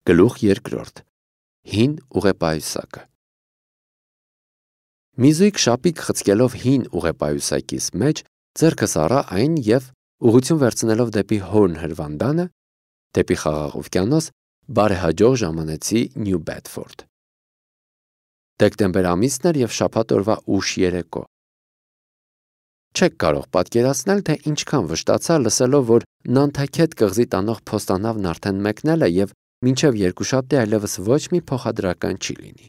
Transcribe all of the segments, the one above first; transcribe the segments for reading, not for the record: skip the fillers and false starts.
Գլուխ 2. Հին ուղեպայուսակը։ Մի զույգ շապիկ խցկելով հին ուղեպայուսակից մեջ ձեռքս առա այն և ուղղություն վերցնելով դեպի Հորն հրվանդանը, դեպի Խաղաղ օվկիանոս, բարեհաջող ժամանեցի Նյու Բեդֆորդ։ Դեկտեմբեր ամիսն էր և շաբաթ օրվա ուշ երեկո։ Չեք կարող պատկերացնել, թե ինչքան վշտացա լսելով, որ Նանթաքեթ կղզի տանող փոստանավն արդեն մեկնել է և մինչև երկուշաբթի այլևս ոչ մի փոխադրական չի լինի։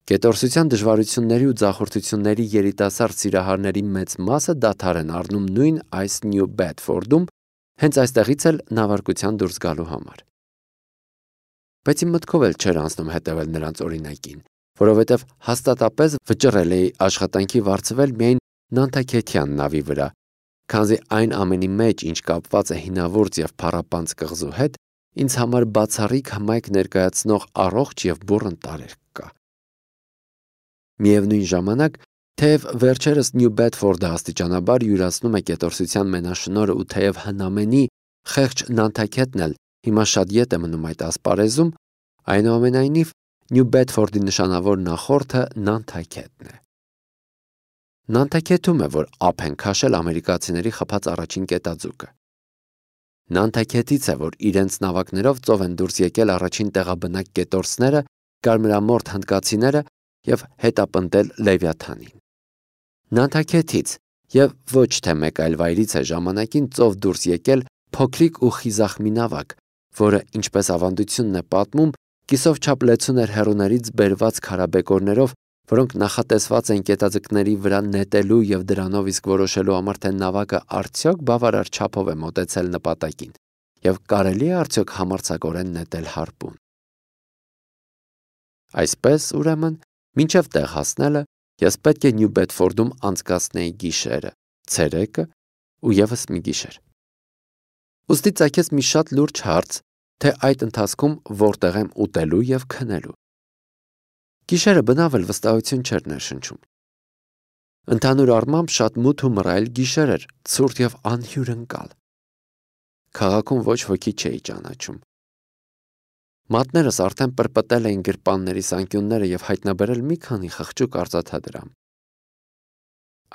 Գետորսության դժվարությունների ու ձախորդությունների երիտասարդ սիրահարների մեծ մասը դադար են առնում նույն այս Նյու Բեդֆորդում, հենց այստեղից էլ նավարկության դուրս գալու համար։ Բայց իմ մտքով էլ չէր անցնում հետևել նրանց օրինակին, որովհետև հաստատապես վճռել էի աշխատանքի վարձվել միայն Նանթաքեթյան նավի վրա, քանզի այն ամենի մեջ, ինչ կապված է հինավուրց և փառապանծ կղզու հետ, ինձ համար բացառիկ հմայք ներկայացնող առողջ և բուռն տարրերք կա։ Միևնույն ժամանակ, թեև վերջերս Նյու Բեդֆորդը աստիճանաբար յուրացնում է գետորսության մենաշնորհը ու թեև հնամենի խեղճ Նանթաքեթն էլ հիմա շատ ետ է մնում այդ ասպարեզում, այնուամենայնիվ Նյու Բեդֆորդի նշանավոր նախորդը Նանթաքեթն է։ Նանթաքեթում է, որ ափ են քաշել ամերիկացիների խփած առաջին կետաձուկը։ Նանթաքեթից է, որ իրենց նավակներով ծով են դուրս եկել առաջին տեղաբնակ կետորսները, կարմրամորթ հնդկացիները և հետապնդել Լևիաթանին։ Նանթաքեթից և ոչ թե մեկ այլ վայրից է ժամանակին ծով դուրս եկել փոքրիկ ու խիզախ մի նավակ, որը, ինչպես ավանդությունն է պատմում, կիսով չափ լեցուն էր հեռուներից բերված քարաբեկորներով, որոնք նախատեսված են կետաձկների վրա նետելու և դրանով իսկ որոշելու համար, թե նավակը արդյոք բավարար չափով է մոտեցել նպատակին և կարելի է արդյոք համարձակորեն նետել հարպուն։ Այսպես, ուրեմն, մինչև տեղ հասնելը ես պետք է Նյու Բեդֆորդում անցկացնեի գիշերը, ցերեկը ու ևս մի գիշեր։ Ուստի ծագեց մի շատ լուրջ հարց, թե այդ ընթացքում որտեղ եմ ուտելու և քնելու։ Գիշերը բնավ էլ վստահություն չէր ներշնչում։ Ընդհանուր առմամբ շատ մութ ու մռայլ գիշեր էր, ցուրտ և անհյուրընկալ։ Քաղաքում ոչ ոքի չէի ճանաչում։ Մատներս արդեն պրպտել էին գրպաններիս անկյունները և հայտնաբերել մի քանի խղճուկ արծաթադրամ։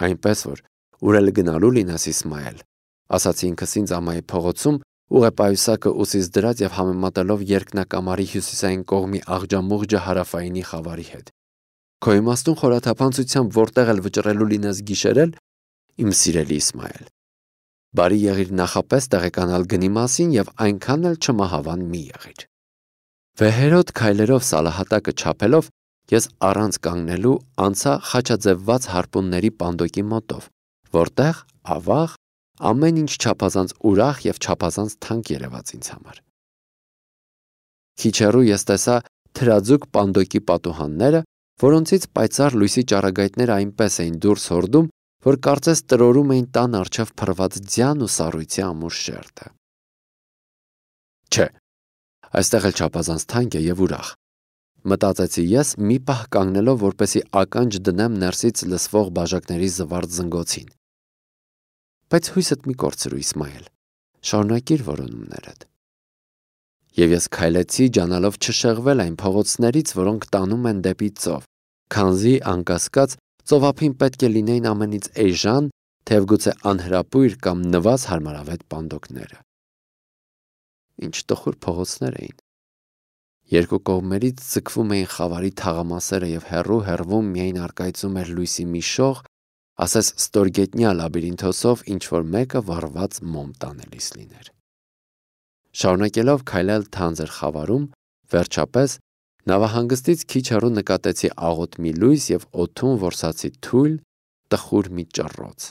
Այնպես որ, ուր էլ գնալու լինես, Իսմայել, ասացի ինքս ինձ ամայի փողոցում, ուղեպայուսակը ուսիս դրած և համեմատելով երկնակամարի հյուսիսային կողմի աղջամուղջը հարավայինի խավարի հետ։ Քո իմաստուն խորաթափանցությամբ որտեղ էլ վճռելու լինես գիշերել, իմ սիրելի Իսմայել, բարի եղիր նախապես տեղեկանալ գնի մասին և այնքան էլ չմահավան մի եղիր։ Վեհերոտ քայլերով սալահատակը չափելով, ես առանց կանգնելու անցա խաչաձևված հարպունների պանդոկի մոտով, որտեղ, ավաղ, ամեն ինչ չափազանց ուրախ և չափազանց թանկ երևաց ինձ համար։ Քիչ հեռու ես տեսա թրաձուկ պանդոկի պատուհանները, որոնցից պայծառ լույսի ճառագայթները այնպես էին դուրս հորդում, որ կարծես տրորում էին տան առջև փռված ձյան ու սառույցի ամուր շերտը։ Չէ, այստեղ էլ չափազանց թանկ է և ուրախ, մտածեցի ես մի պահ կանգնելով, որպեսզի ականջ դնեմ ներսից լսվող բաժակների զվարթ զնգոցին։ Բայց հույսդ մի կորցրու, Իսմայել, շարունակիր որոնումներդ։ Եվ ես քայլեցի, ջանալով չշեղվել այն փողոցներից, որոնք տանում են դեպի ծով, քանզի, անկասկած, ծովափին պետք է լինեին ամենից էժան, թեև գուցե անհրապույր կամ նվազ հարմարավետ պանդոկները։ Ինչ տխուր փողոցներ էին։ Երկու կողմերից ձգվում էին խավարի թաղամասերը և հեռու-հեռվում միայն առկայծում էր լույսի մի շող, ասես ստորգետնյա լաբիրինթոսով ինչ-որ մեկը վառված մոմ տանելիս լիներ։ Շարունակելով քայլել թանձր խավարում, վերջապես, նավահանգստից քիչ հեռու նկատեցի աղոտ մի լույս և օդում որսացի թույլ, տխուր մի ճռռոց։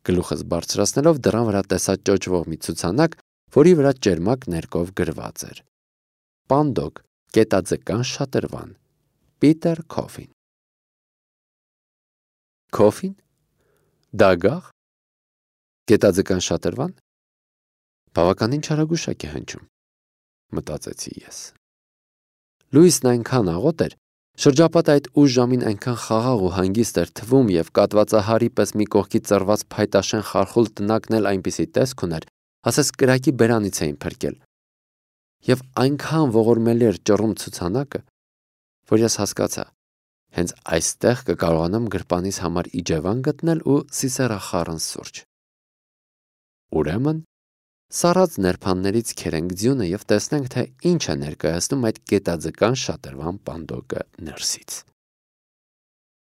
Գլուխս բարձրացնելով դռան վրա տեսա ճոճվող մի ցուցանակ, որի վրա ճերմակ ներկով գրված էր. Պանդոկ, գետաձկան շատրվան, Պիտեր Քոֆին։ Քոֆին։ Դագաղ։ Գետաձկան շատրվան։ Բավականին չարագուշակ է հնչում, մտածեցի ես։ Լույսն այնքան աղոտ էր, շրջապատը այդ ուշ ժամին այնքան խաղաղ ու հանգիստ էր թվում և կատվածահարի պես մի կողքի ծռված փայտաշեն խարխուլ տնակն էլ այնպիսի տեսք ուներ, ասես կրակի բերանից էին փրկել, Եվ այնքան ողորմելի էր ճռում ցուցանակը, որ ես հասկացա, հենց այստեղ կկարողանամ գրպանիս համար իջևան գտնել ու սիսեռախառն սուրճ։ Ուրեմն, սառած ներփաններից քերենք ձյունը և տեսնենք, թե ինչ է ներկայացնում այդ գետաձկան շատրվան պանդոկը ներսից։